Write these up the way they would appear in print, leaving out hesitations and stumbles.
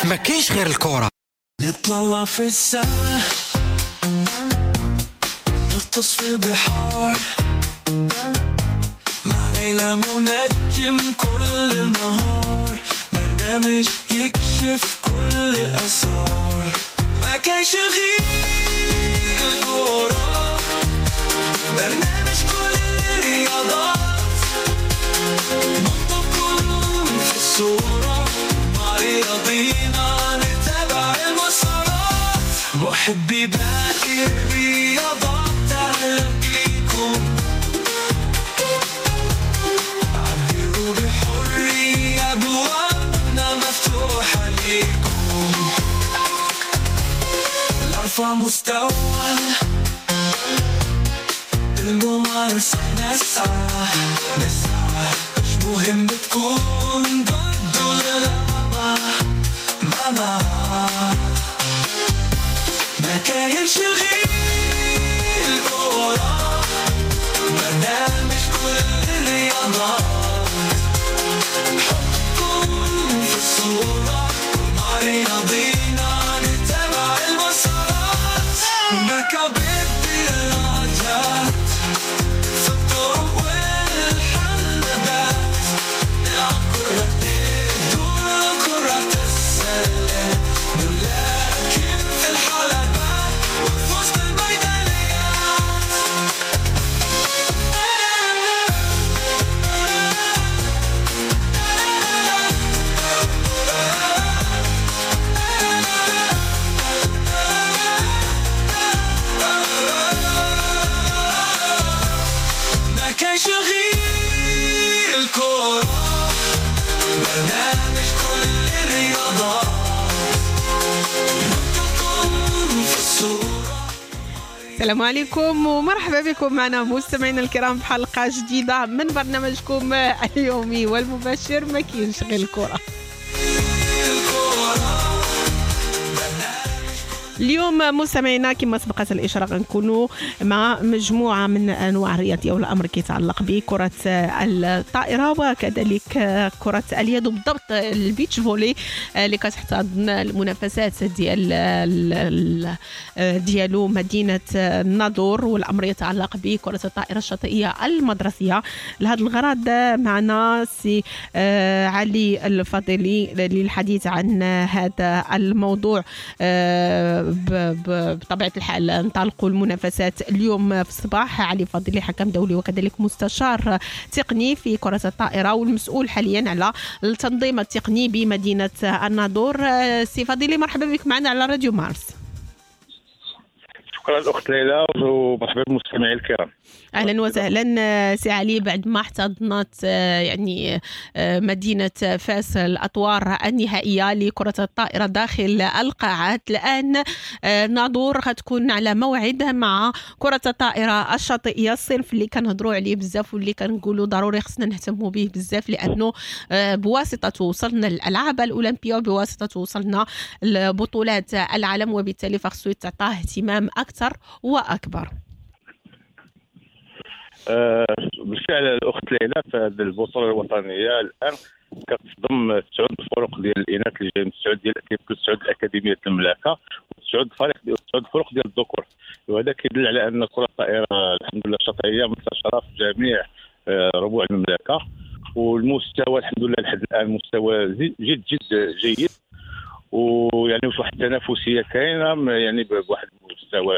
ما كاينش غير الكرة. نطلع في السما، نغطس في البحار، مع ليلى منجم كل النهار، برنامج يكشف كل الأسرار. ما كاينش غير الكرة، برنامج كل الرياضات، نحطكم في الصورة، مع رياضينا نتابع المسارات، محبي باقي الرياضات تهلكيكم، عبروا بحرية، أبوابنا مفتوحة ليكم، لأرفع مستوى الممارسة نسعى نسعى، مش مهم تكون ضد ولا لا، ما ما كاينش غير الكرة، برنامج كل الرياضات، حطكم في الصورة، مع رياضينا نتابع المسارات، مكابد الرجات في الطرق والحلبات، نلعب كرة الدور كرة السلة، نلاكم في الحلبات وفي وسط الميدانيات. ما كاينش غير الكرة، برنامج كل الرياضات، نحطكم في الصورة. السلام عليكم ومرحبا بكم معنا مستمعينا الكرام في حلقة جديدة من برنامجكم اليومي والمباشر ما كاينش غير الكرة. اليوم مستمعينا كما سبقت الإشارة غنكونوا مع مجموعة من أنواع الرياضية، والأمر كيتعلق بكرة الطائرة وكذلك كرة اليد، وبالضبط ال beach volley اللي كتحتضن المنافسات ديال ديالو مدينة الناظور، والأمر يتعلق بكرة الطائرة الشاطئية المدرسية. لهذا الغرض معنا سي علي الفضيلي للحديث عن هذا الموضوع. بطبيعة الحال انطلقوا المنافسات اليوم في الصباح. علي فضيلي حكم دولي وكذلك مستشار تقني في كرة الطائرة والمسؤول حاليا على التنظيم التقني بمدينة الناظور. سي فضيلي مرحبا بك معنا على راديو مارس. شكرا الأخت ليلى ومرحبا بالمستمعين الكرام. اهلا وسهلا سي علي. بعد ما احتضنت يعني مدينة فاس الاطوار النهائية لكرة الطائرة داخل القاعات، الان ناظور غتكون على موعد مع كره الطائرة الشاطئيه، الصنف اللي كنهضروا عليه بزاف واللي كنقولوا ضروري خصنا نهتموا به بزاف، لانه بواسطته وصلنا للالعاب الاولمبية وبواسطته وصلنا لبطولات العالم، وبالتالي فخصو يتعطاه اهتمام اكثر واكبر. بالفعل الاخت ليلى، فهذه البطولة الوطنية الان كتضم 9 فرق ديال الاناث اللي جايين من 9 ديال 9 الاكاديميات المملكة، و9 فريق ديال 9 فرق ديال الذكور، وهذا كيدل على ان كره الطائرة الحمد لله الشاطئيه منتشرة في جميع ربوع المملكة، والمستوى الحمد لله لحد الان مستوى جد جد جيد، ويعني واحد التنافسية كاينه يعني بواحد المستوى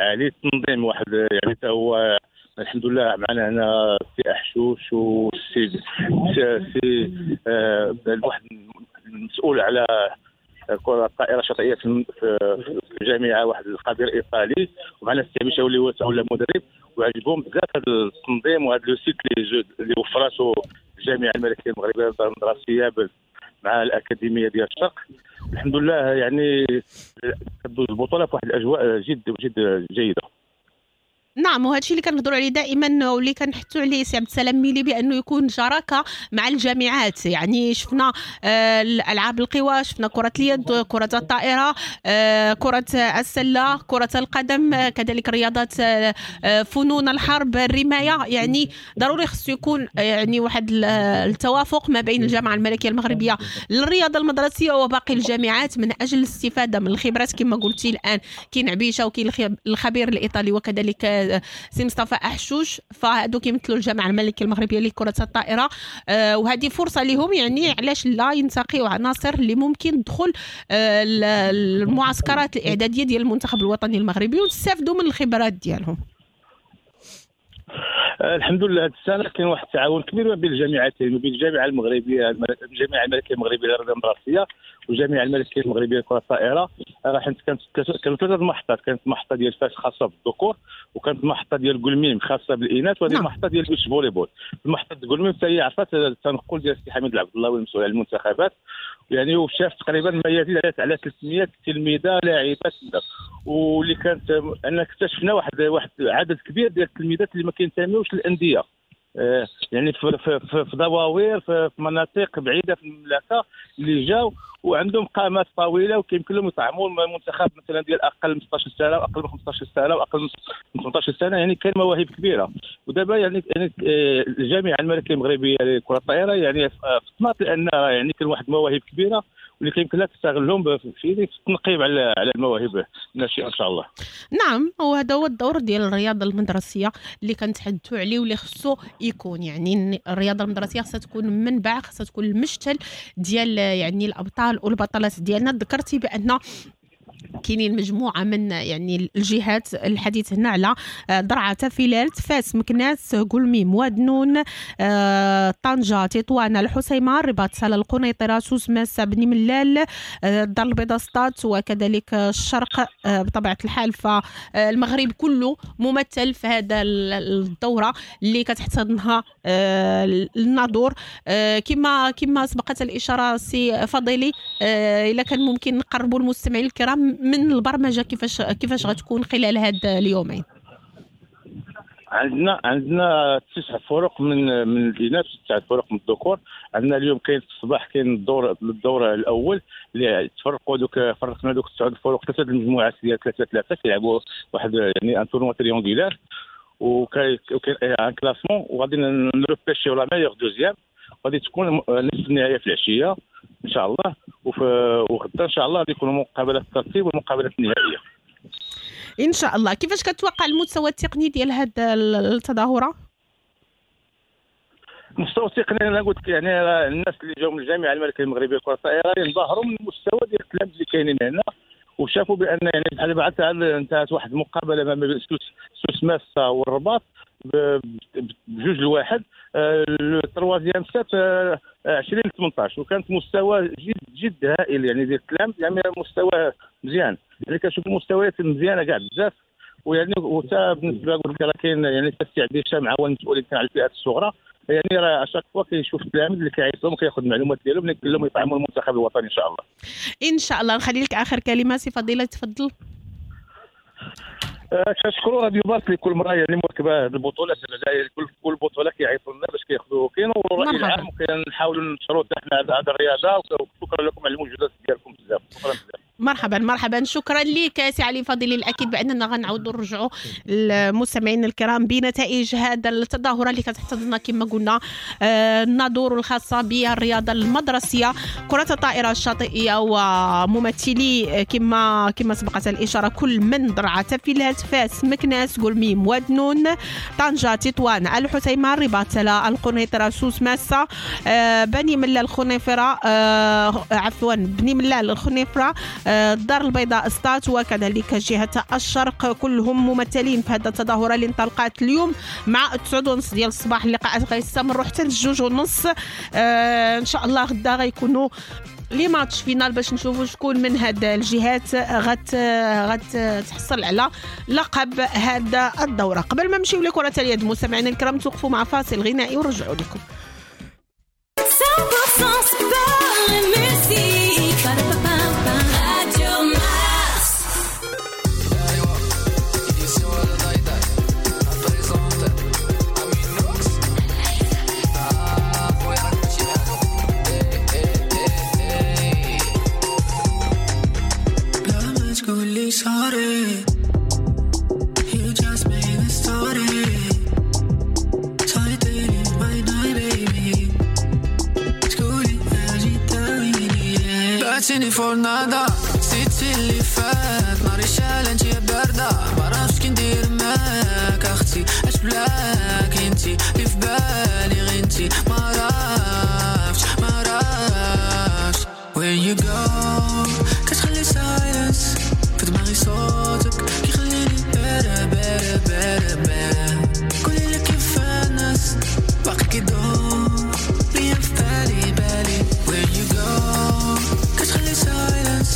عالي. التنظيم واحد يعني حتى هو الحمد لله معنا هنا سي احشوش والسي سي واحد المسؤول على كرة الطائرة الشاطئية في الجامعة، واحد الخبير ايطالي، ومعنا السي مشاو اللي هو مدرب، وعجبهم بزاف هذا التنظيم وهذا le site اللي وفرته الجامعة الملكية المغربية المدرسية مع الاكاديمية ديال الشرق. الحمد لله يعني كدوز البطولة في واحد الاجواء جد جد جيدة. نعم، وهذا الشيء اللي كنهضروا عليه دائما واللي كنحثوا عليه سي عبد السلام ميلي بانه يكون شراكة مع الجامعات. يعني شفنا الالعاب القوى، شفنا كره اليد، كره الطائرة، كره السلة، كره القدم، كذلك رياضات فنون الحرب، الرماية. يعني ضروري خصو يكون يعني واحد التوافق ما بين الجامعة الملكية المغربية للرياضة المدرسية وباقي الجامعات من اجل الاستفادة من الخبرات. كما قلتي الان كاين عبيشه وكاين الخبير الايطالي وكذلك سي مصطفى احشوش، فهادو كيمثلوا الجامعة الملكية المغربية لكرة الطائرة، وهذه فرصة لهم، يعني علاش لا ينتقيوا عناصر اللي ممكن تدخل المعسكرات الاعدادية ديال المنتخب الوطني المغربي وتستافدوا من الخبرات ديالهم. الحمد لله هذه السنة كاين واحد التعاون كبير ما بين الجامعتين وبين الجامعة المغربية، الجامعة الملكية المغربية للرياضة المدرسية والجامعة الملكية المغربية لكرة الطائرة. راه حيت كانوا ثلاثة المحطات، كانت محطة ديال فاس خاصة بالذكور، وكانت محطة ديال كلميم خاصة بالاناث، وهذه المحطة ديال beach volleyball. المحطة ديال كلميم حتى هي عرفت التنقل ديال السي حميد العبد الله المسؤول على المنتخبات، يعني وشاف تقريبا ما يزيد على 300 تلميذه لاعبات، واللي كانت ان اكتشفنا واحد عدد كبير ديال التلميذات اللي ما كينتميوش للاندية، يعني في دواوير، في مناطق بعيدة في المملكة، اللي جاو وعندهم قامات طويلة وكيمكن لهم يطعموا المنتخب مثلا ديال اقل من 16 سنة واقل من 15 سنة واقل من 18 سنة. يعني كاين مواهب كبيرة. ودابا يعني الجامعة الملكية المغربية لكرة الطائرة يعني فطنات لان يعني كاين واحد المواهب كبيرة واللي كيمكن لها تستغلهم في التنقيب على المواهب الناشئة ان شاء الله. نعم، وهذا هو الدور ديال الرياضة المدرسية اللي كنتحدثوا عليه واللي خصو يكون. يعني الرياضة المدرسية خصها تكون منبع، خصها تكون المشتل ديال يعني الابطال والبطلات ديالنا. ذكرتي بان كاينين مجموعة من يعني الجهات، الحديث هنا على درعا، تافيلالت، فاس، مكناس، كلميم، وادنون، طنجه، تطوان، الحسيمه، الرباط، سلا، القنيطره، سوس ماسة، بني ملال، الدار البيضاء، سطات، وكذلك الشرق. بطبيعة الحال فالمغرب كله ممثل في هذا الدورة اللي كتحتضنها الناظور. كما سبقت الاشارة سي فضيلي، الا كان ممكن نقربوا المستمعين الكرام من البرمجة كيفاش غتكون خلال هاد اليومين. عندنا 9 فرق من الاناث، 9 فرق من الذكور. عندنا اليوم كاين في الصباح كاين الدور الاول اللي تفرقوا دوك، فرقنا دوك 9 فرق ثلاثة المجموعات ديال 3-3 كيلعبوا واحد يعني un tournoi triangulaire، وكاين un classement، وغادي نروبيشيو la meilleure deuxième، غادي تكون نصف النهاية في العشية ان شاء الله، وغدا ان شاء الله غادي يكونوا مقابلات الترتيب والمقابلات النهائية ان شاء الله. كيفاش كتوقع المستوى التقني ديال هذه التظاهرة؟ المستوى التقني انا قلت لك يعني الناس اللي جاوا من الجامعة الملكية المغربية لكرة الطائرة ينبهروا من المستوى ديال التلاميذ اللي كاينين هنا، وشافوا بان يعني بحال بعد انتهت واحد المقابلة ما بين سوس ماسة والرباط ب2-1، le troisième set 20-18، وكانت مستوى جد جد هائل يعني ديال التلاميذ، يعني مستوى مزيان، يعني كنشوف مستويات مزيانه كاع بزاف. ويعني وتا بالنسبة قلت لك راه كاين يعني السي عبد مع هو المسؤول كان على الفئات الصغرى، يعني راه à chaque fois كيشوف التلاميذ اللي كيعيطهم وكياخذ المعلومات ديالهم اللي كلهم يطعموا المنتخب الوطني ان شاء الله. ان شاء الله. نخلي لك اخر كلمة سي فضيلة، تفضل. كنشكروا راديو مارس اللي كل مرة يعني مواكبة هذه البطولة، كل بطوله كيعيطوا لنا باش كياخذوا كينوروا الراي العام، وكنحاولوا ننشروا حتى حنا هذه الرياضة. وشكرا لكم على المجهودات ديالكم بزاف، شكرا بزاف. مرحبا مرحبا، شكرا لك سي علي فضيلي. الاكيد باننا غنعاودوا نرجعوا للمستمعين الكرام بنتائج هذا التظاهرة اللي كتحتضننا كما قلنا الناظور الخاصة بالرياضة المدرسية، كره الطائرة الشاطئيه، وممثلي كما سبقت الاشارة كل من درعا، تافيلالت، فاس، مكناس، كلميم، وادنون، طنجه، تطوان، الحسيمه، الرباط، سلا، القنيطره، سوس ماسه، بني ملال الخنيفره، عفوا بني ملال الخنيفره، الدار البيضاء سطات، وكذلك جهة الشرق، كلهم ممثلين في هذا التظاهرة اللي انطلقت اليوم مع 9:30 ديال الصباح. اللقاءات غيستمروا حتى 2:30. ان شاء الله غدا غيكونوا les matchs finals باش نشوفوا شكون من هاد الجهات غتحصل على لقب هذا الدورة. قبل ما نمشيو لكرة اليد مستمعينا الكرام، توقفوا مع فاصل غنائي ونرجعوا لكم. 100% sport et musique. Radio Mars. sorry. You just made a story. تعيطيلي my night baby. تقولي اجي داويني. بعتيني فورنادا نسيتي اللي فات. ناري شال انتي يا باردة، معرفتش كي ندير معاك اختي. اش بلاك انتي اللي في بالي غير انتي. معرفتش معرفتش where you go. كتخلي silence في دماغي صوتك كيخليني better better better better. قولي لك كيف الناس باقي كيدور ليا في بالي بالي. where you go كتخلي silence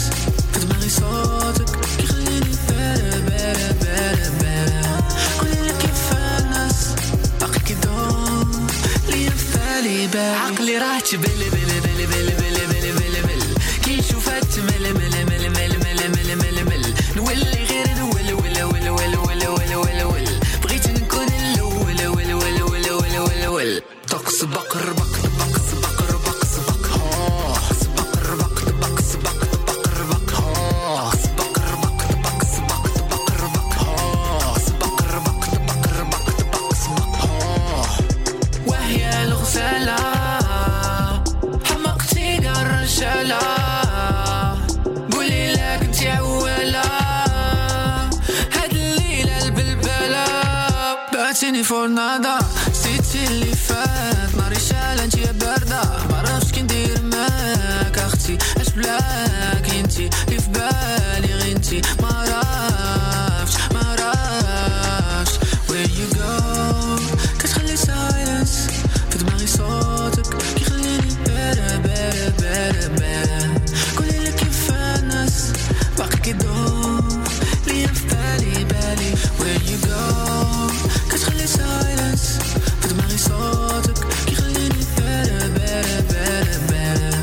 في دماغي صوتك كيخليني better better better better. قولي لك كيف الناس باقي كيدور ليا في بالي بالي. عقلي راه تبلي بلي بلي بلي بلي بلي بلي بلي كيشوفها تمل مل مل مل مل مل مل مل. نولي غير نول ول ول ول ول ول ول ول. بغيت نكون الاول ول ول ول ول ول ول. طقس بقر بق طبق سبق ربق سبق سبق ربق طبق سبق طبق ربق سبق ربق طبق سبق طبق ربق سبق ربق طبق ربق طبق سبق. وهي الغزالة حمقتي الرجالة. قولي لك انت عوالة هاد الليلة البلبلة. بعتيني فورنادا نسيتي اللي فات. ناري شال انت يا باردة، معرفتش كي ندير معاك اختي. اش بلاك انتي اللي في بالي غير انتي. معرفتش معرفتش where you go. كتخلي silence في دماغي صوتك كيخليني better better better better. قولي لك كيف الناس باقي كيدور ليا في بالي بالي. where you go كتخلي silence في دماغي صوتك كيخليني better better better better.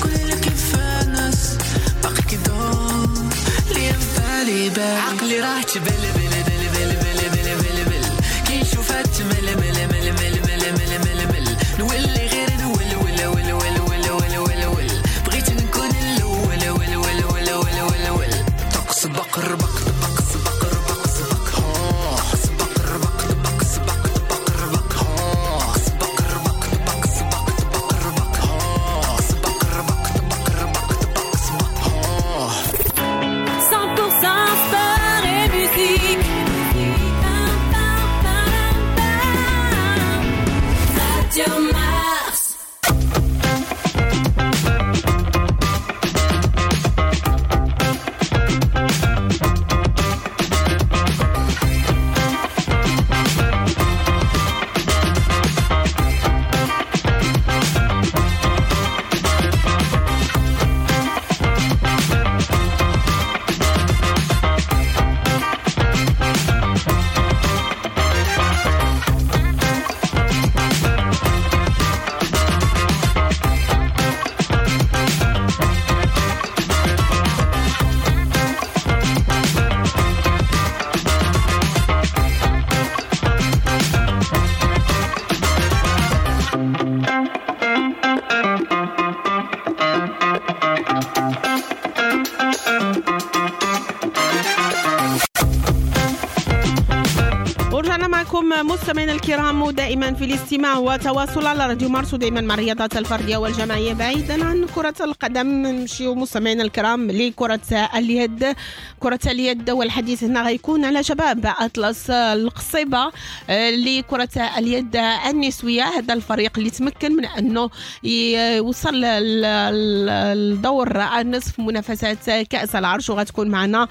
قولي لك كيف الناس باقي كيدور ليا في بالي بالي. عقلي راه تبلي بلي بلي بلي بلي بلي بلي بلي كيشوفها تمل مل مل مل مل مل مل مل. نولي غير نول ول ول ول ول ول ول ول. بغيت نكون الاول ول ول ول ول ول ول. طقس بقر بق طبق سبق ربق سبق سبق ربق طبق سبق طبق ربق سبق ربق طبق سبق طبق ربق سبق ربق طبق ربق طبق سبق. 100% sport et musique. Radio Mars. ورجعنا معكم مستمعينا الكرام ودائما في الاستماع وتواصل على راديو مارس، ودائما مع الرياضات الفردية والجماعيه بعيدا عن كره القدم. نمشيو مستمعينا الكرام لكرة اليد. كره اليد والحديث هنا غيكون على شباب اطلس القصيبه لكرة اليد النسوية. هذا الفريق اللي تمكن من انه يوصل للدور النصف منافسات كاس العرش، وغتكون معنا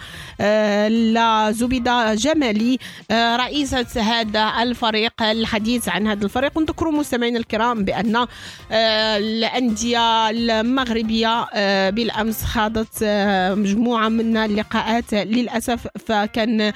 لا زبيده جمالي رئيسة هذا الفريق الحديث عن هذا الفريق. ونذكروا مستمعينا الكرام بأن الأندية المغربية بالأمس خاضت مجموعة من اللقاءات للأسف، فكان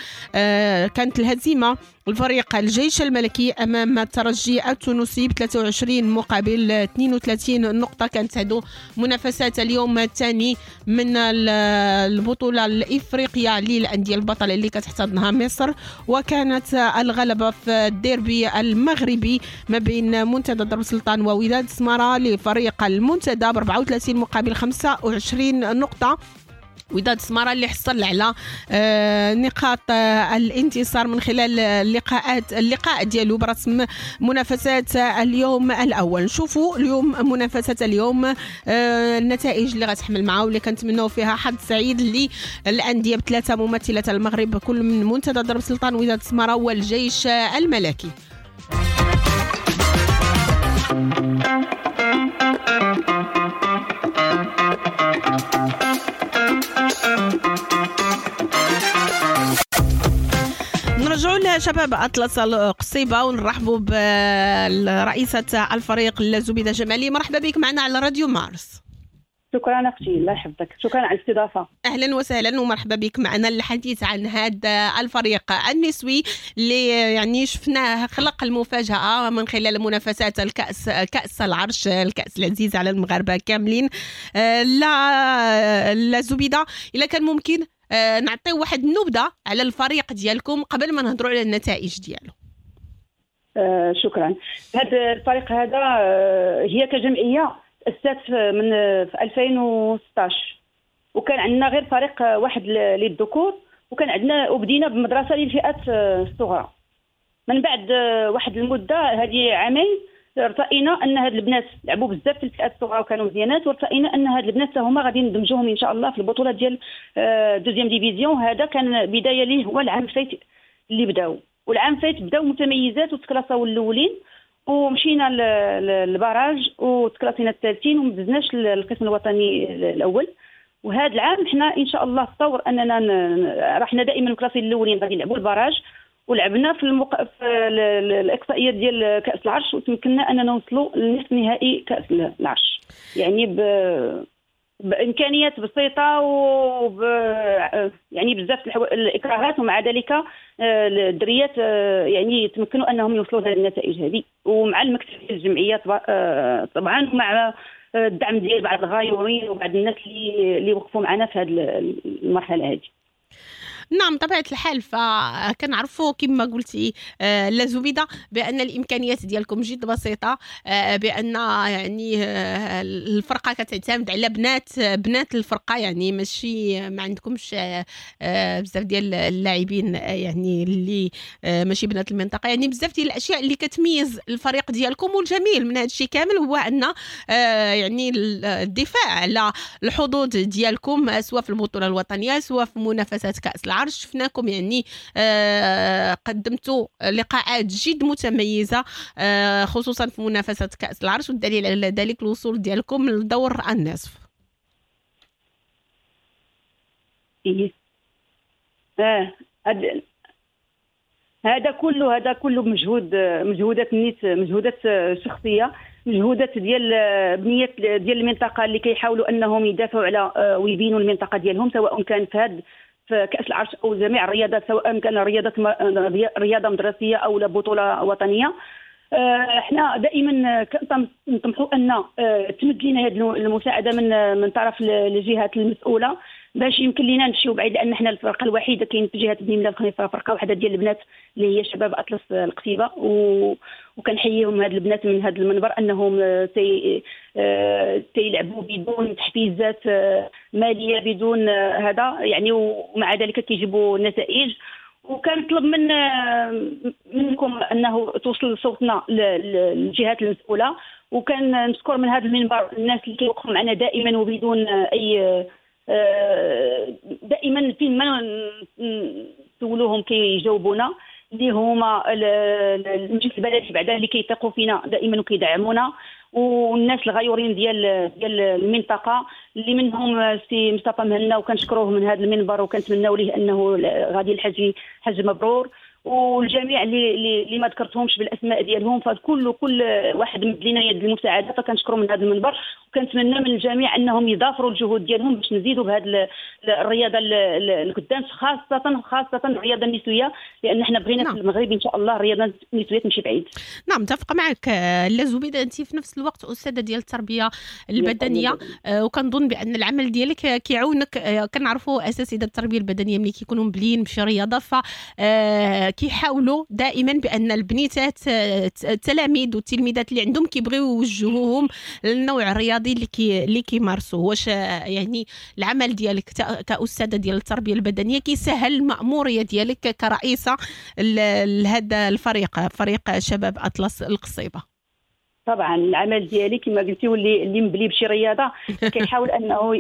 كانت الهزيمة الفريق الجيش الملكي أمام الترجي التونسي ب 23 مقابل 32 نقطة. كانت هذو منافسات اليوم الثاني من البطولة الإفريقية للأندية البطلة اللي كتحتضنها مصر، وكانت الغلبة في الديربي المغربي ما بين منتدى درب السلطان ووداد سمارة لفريق المنتدى ب 34 مقابل 25 نقطة. وداد السمارة اللي حصل على نقاط الانتصار من خلال اللقاء ديالو برسم منافسات اليوم الاول. نشوفوا اليوم منافسات اليوم، النتائج اللي غتحمل معاه واللي كنتمناو فيها حظ سعيد للاندية بثلاثة ممثلات المغرب، كل من منتدى درب سلطان، وداد السمارة والجيش الملكي. نرجعوا لشباب أطلس القصيبة ونرحبوا برئيسة الفريق زبيدة جمالي. مرحبا بك معنا على راديو مارس. شكرا اختي، الله يحفظك، شكرا على الاستضافة. اهلا وسهلا ومرحبا بك معنا للحديث عن هذا الفريق النسوي اللي يعني شفناه خلق المفاجاة من خلال منافسات الكاس، كاس العرش، الكاس العزيز على المغاربة كاملين. لا زبيده، الا كان ممكن نعطيو واحد النبذه على الفريق ديالكم قبل ما نهضروا على النتائج ديالو. شكرا. هذا الفريق هذا هي كجمعية تأسست من في 2016، وكان عندنا غير فريق واحد للذكور، وكان عندنا وبدينا بمدرسة للفئات الصغرى. من بعد واحد المدة هذه عامين ارتئينا ان هاد البنات لعبوا بزاف في الفئات الصغرى وكانوا مزيانات، وارتئينا ان هاد البنات هما غادي ندمجوهم ان شاء الله في البطولة ديال deuxième division. هذا كان بداية ليه هو العام الفايت اللي بداو، والعام الفايت بداو متميزات وتكلاساو الاولين، ومشينا لل barrage وتكلاسينا الثالثين وما دزناش للقسم الوطني الاول. وهذا العام حنا ان شاء الله في طور اننا رحنا دائما classés الاولين غادي نلعبوا ال barrage، ولعبنا في الاقصائيات ديال كاس العرش وتمكنا اننا نوصلوا لنصف نهائي كاس العرش، يعني بامكانيات بسيطة وب يعني بزاف الاكراهات، ومع ذلك الدريات يعني تمكنوا انهم يوصلوا لهذه النتائج هذه، ومع المكتب ديال الجمعية طبعا، ومع الدعم ديال بعض الغايورين وبعض الناس اللي وقفوا معنا في هذه المرحلة هذه. نعم طبيعة الحال، فكنعرفوا كما قلتي لا زبيدة بأن الإمكانيات ديالكم جد بسيطة، بأن يعني الفرقة كتعتمد على بنات الفرقة، يعني ماشي ما عندكمش بزاف ديال اللاعبين يعني اللي ماشي بنات المنطقة، يعني بزاف ديال الأشياء اللي كتميز الفريق ديالكم. والجميل من هذا الشيء كامل هو أن يعني الدفاع على الحظوظ ديالكم سواء في البطولة الوطنية سواء في منافسات كأس العرش، شفناكم يعني قدمتوا لقاءات جد متميزة خصوصا في منافسة كأس العرش، والدليل على ذلك الوصول ديالكم لدور النصف. هذا كله مجهودات نيت، مجهودات شخصية، مجهودات ديال بنيات ديال المنطقة اللي كيحاولوا انهم يدافعوا على ويبينوا المنطقة ديالهم، سواء كان في هذا في كأس العرش أو جميع الرياضات، سواء كان رياضة مدرسية أو بطولة وطنية. احنا دائما نطمحوا أن تمد لنا هذه المساعدة من طرف الجهات المسؤولة باش يمكن لنا نمشيو بعيد، لأن احنا الفرقة الوحيدة كاين في جهة بني ملال خنيفرة فرقة واحدة ديال البنات اللي هي شباب أطلس القصيبة، وكنحييهم هاد البنات من هذا المنبر أنهم تيلعبوا بدون تحفيزات مالية بدون هذا يعني، ومع ذلك كيجيبوا نتائج. وكنطلب منكم انه توصل صوتنا للجهات المسؤولة، وكنشكر من هذا المنبر الناس اللي كيوقفوا معنا دائما وبدون اي دائما فين ما نسولوهم كيجاوبونا، اللي هما المجلس البلدي بعدا اللي كيثقوا فينا دائما وكيدعمونا، والناس الغيورين ديال المنطقة اللي منهم سي مصطفى مهنا، وكنشكروه من هذا المنبر وكنتمناو ليه انه غادي الحج حج مبرور، والجميع اللي ما ذكرتهمش بالاسماء ديالهم، فكل كل واحد مد لنا يد المساعدة، فكنشكروا من هذا المنبر، وكنتمنى من الجميع انهم يضافروا الجهود ديالهم باش نزيدوا بهذه الرياضة القدام، خاصة الرياضة النسوية، لان حنا بغينا في المغرب ان شاء الله الرياضة النسوية تمشي بعيد. نعم متفقه معك لا زبيده، انت في نفس الوقت استاذه ديال التربية البدنية، وكنظن بان العمل ديالك كيعاونك. كنعرفوا اساتذة التربية البدنية ملي كيكونوا مبليين بشي رياضة ف كيحاولوا دائما بان البنيتات التلاميذ والتلميذات اللي عندهم كيبغيو يوجهوهم للنوع الرياضي اللي كيمارسوه. واش يعني العمل ديالك كأستاذة ديال التربية البدنية كيسهل المأمورية ديالك كرئيسة لهذا الفريق، فريق شباب أطلس القصيبة؟ طبعا العمل ديالي كما قلتي، واللي مبلي بشي رياضة كيحاول انه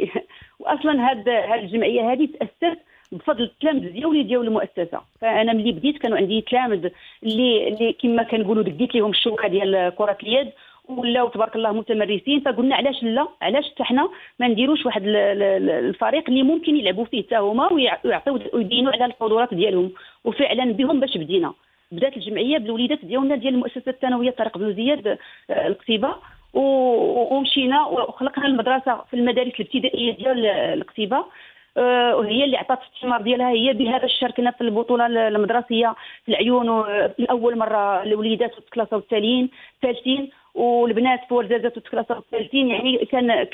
واصلا هاد الجمعية هذه تاسست بفضل التلامذ ديالي ديال المؤسسة. فانا ملي بديت كانوا عندي تلامذ اللي كما كنقولوا دقيت لهم الشوكة ديال كره اليد، ولاو تبارك الله متمرسين. فقلنا علاش لا، علاش حتى حنا ما نديروش واحد الفريق اللي ممكن يلعبوا فيه حتى هما ويعطيو ويبينوا على القدرات ديالهم. وفعلا بهم باش بدينا، بدات الجمعية بالوليدات ديالنا ديال المؤسسة الثانوية طارق بن زياد القصيبه، ومشينا وخلقنا المدرسة في المدارس الابتدائية ديال القصيبه، وهي اللي عطات الثمار ديالها. هي بها باش شاركنا في البطولة المدرسية في العيون لاول مرة، الوليدات وتكلاساو الثالثين، والبنات في ورزازات وتكلاساو الثالثين. يعني كان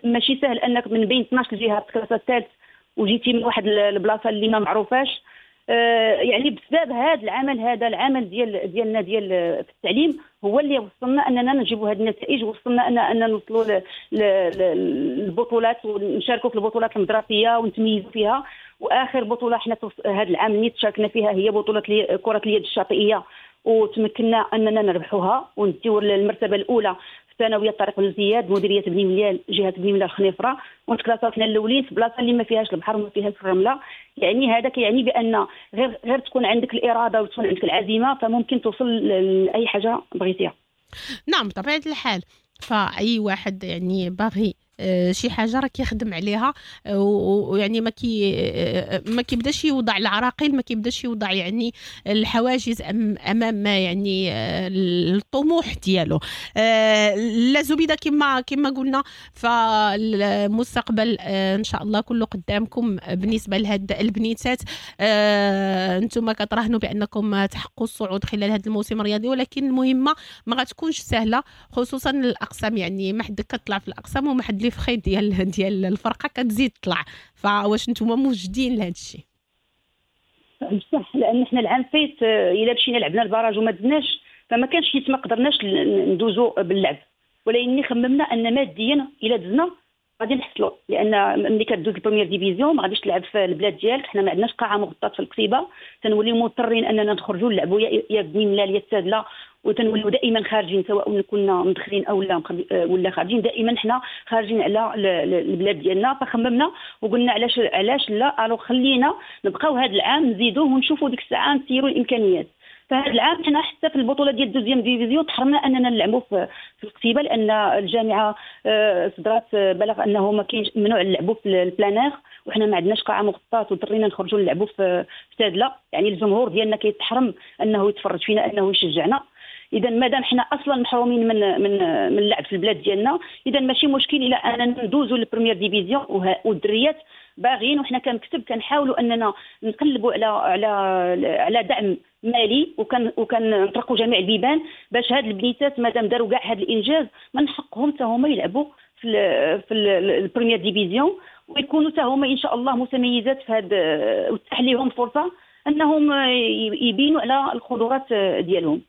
ماشي سهل انك من بين 12 جهة تكلاسا الثالث وجيتي من واحد البلاصة اللي ما معروفاش. يعني بسبب هذا العمل، هذا العمل ديالنا ديال في التعليم هو اللي وصلنا اننا نجيبوا هذه النتائج، وصلنا ان نوصلوا للبطولات ونشاركوا في البطولات المدرسية ونتميزوا فيها. واخر بطوله حنا هذا العام اللي شاركنا فيها هي بطوله كره اليد الشاطئيه، وتمكنا اننا نربحوها ونديو المرتبة الاولى في ثانوية طارق بن زياد مديرية بني ملال جهة بني ملال الخنيفره، ونتكلاساو حنا الاولين في بلاصة اللي ما فيهاش البحر وما فيهاش الرملة. يعني هذا كيعني بان غير تكون عندك الارادة وتكون عندك العزيمة فممكن توصل لاي حاجة بغيتيها. نعم بطبيعة الحال، فاي واحد يعني باغي شي حاجة راه كيخدم عليها، ويعني ما كيبداش يوضع العراقيل، ما كيبداش يوضع يعني الحواجز امام يعني الطموح ديالو. لا زبيده كما قلنا فالمستقبل ان شاء الله كله قدامكم بالنسبة لهاد البنيتات. انتم كتراهنوا بانكم تحققوا الصعود خلال هذا الموسم الرياضي، ولكن المهمة ما غتكونش سهلة، خصوصا الاقسام، يعني ما حد كتطلع في الاقسام وما حد لي فخي ديال الفرقة كتزيد تطلع. فواش نتوما موجدين لهذا الشيء؟ بصح، لان حنا العام فايت الا مشينا لعبنا ال barrage وما دزناش فما كانش، حيت ما قدرناش ندوزو باللعب، ولكن خممنا ان ماديا الا دزنا غادي نحصلوا، لان ملي كدوز ال première division ما غاديش تلعب في البلاد ديالك. حنا ما عندناش قاعة مغطاة في القصيبه، تنوليو مضطرين اننا نخرجوا نلعبوا يا بني ملال يا السادله، وتنولوا دائما خارجين سواء كنا مدخلين او لا ولا خارجين، دائما حنا خارجين على البلاد ديالنا. فخممنا وقلنا علاش لا، الو خلينا نبقاو هذا العام نزيدوه ونشوفوا ديك الساعة نسيروا الامكانيات. فهذا العام حنا حتى في البطولة ديال deuxième division تحرمنا اننا نلعبوا في القصيبه، لان الجامعة صدرات بلغ انه ما كاينش، ممنوع نلعبوا في ال plein air، وحنا ما عندناش قاعة مغطاة وضطرينا نخرجوا نلعبوا في سادله. يعني الجمهور ديالنا كيتحرم انه يتفرج فينا، انه يشجعنا. اذا مادام حنا اصلا محرومين من من من اللعب في البلاد ديالنا، اذا ماشي مشكل الى اننا ندوزوا لل première division. والدريات باغيين، وحنا كنكتب كنحاولوا اننا نقلبوا على على على دعم مالي، وكنطرقوا جميع البيبان باش هاد البنيتات مادام داروا كاع هاد الانجاز من حقهم حتى هما يلعبوا في ال première division، ويكونوا حتى هما ان شاء الله متميزات في هاد، وتتاح لهم فرصة انهم يبينوا على القدرات ديالهم.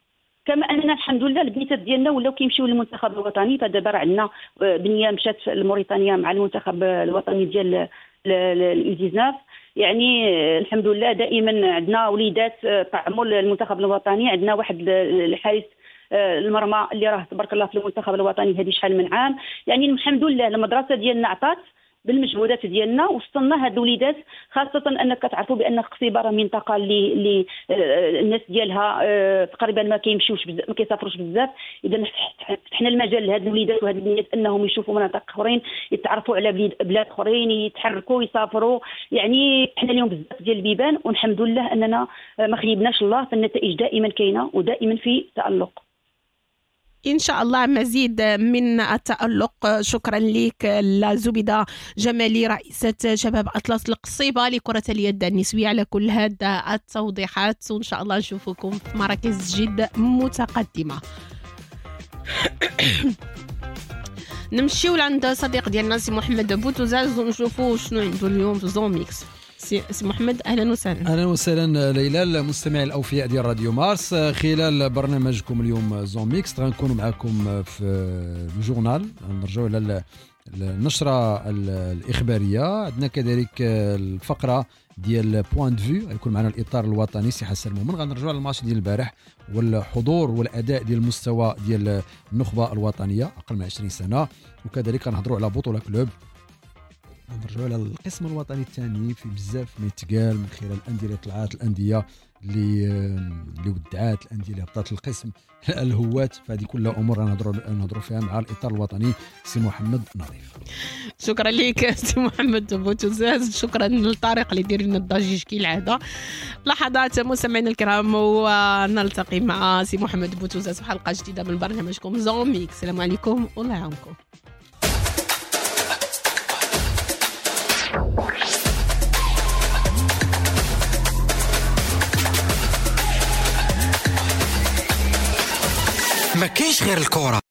كما اننا الحمد لله البنيتات ديالنا ولاو كيمشيو للمنتخب الوطني، فدابا راه عندنا بنيه مشات لموريتانيا مع المنتخب الوطني ديال ال U 19. يعني الحمد لله دائما عندنا وليدات طعموا المنتخب الوطني، عندنا واحد الحارس المرمى اللي راه تبارك الله في المنتخب الوطني هذه شحال من عام. يعني الحمد لله المدرسة ديالنا عطات بالمجهودات ديالنا وصلنا هاد الوليدات، خاصة انك كتعرفوا بان القصيبه راه منطقة اللي الناس ديالها تقريبا ما كيمشيوش بزاف، ما كيسافروش بزاف. اذا فتحنا المجال لهاد الوليدات وهاد البنات انهم يشوفوا مناطق اخرين، يتعرفوا على بلاد اخرين، يتحركوا، يسافروا. يعني فتحنا لهم بزاف ديال البيبان، والحمد لله اننا ما خيبناش الله، فالنتائج دائما كاينه ودائما في تألق. إن شاء الله مزيد من التألق. شكرا لك لا زبيدة جمالي رئيسة شباب أطلس القصيبة لكرة اليد النسوية على كل هذا التوضيحات، وإن شاء الله نشوفكم في مراكز جد متقدمة. نمشيو لعند صديق ديالنا سي محمد بوتوزاز ونشوفوا شنو عنده اليوم في Zone Mixte. سي محمد، اهلا وسهلا. اهلا وسهلا ليلى، المستمعين الاوفياء ديال راديو مارس. خلال برنامجكم اليوم zone mixte غنكونوا معكم في ال journal، نرجعوا على النشرة الاخبارية. عندنا كذلك الفقرة ديال point de vue، غيكون معنا الاطار الوطني سي حسن المؤمن. غنرجعوا على الماتش ديال البارح والحضور والاداء ديال المستوى ديال النخبة الوطنية اقل من 20 سنة، وكذلك غنهضروا على بطوله club، نرجعوا على القسم الوطني الثاني في بزاف ما يتقال من خلال الاندية اللي طلعات، الاندية اللي ودعات، الاندية اللي هبطات القسم، الهوات. فهذه كلها امور غنهضروا فيها مع الاطار الوطني سي محمد نظيف. شكرا لك سي محمد بوتوزاز، شكرا لطارق اللي دير لنا الضجيج كالعادة. لحظات مستمعينا الكرام ونلتقي مع سي محمد بوتوزاز في حلقة جديدة من برنامجكم zone mixte. السلام عليكم والله يعاونكم. ما كاينش غير الكرة.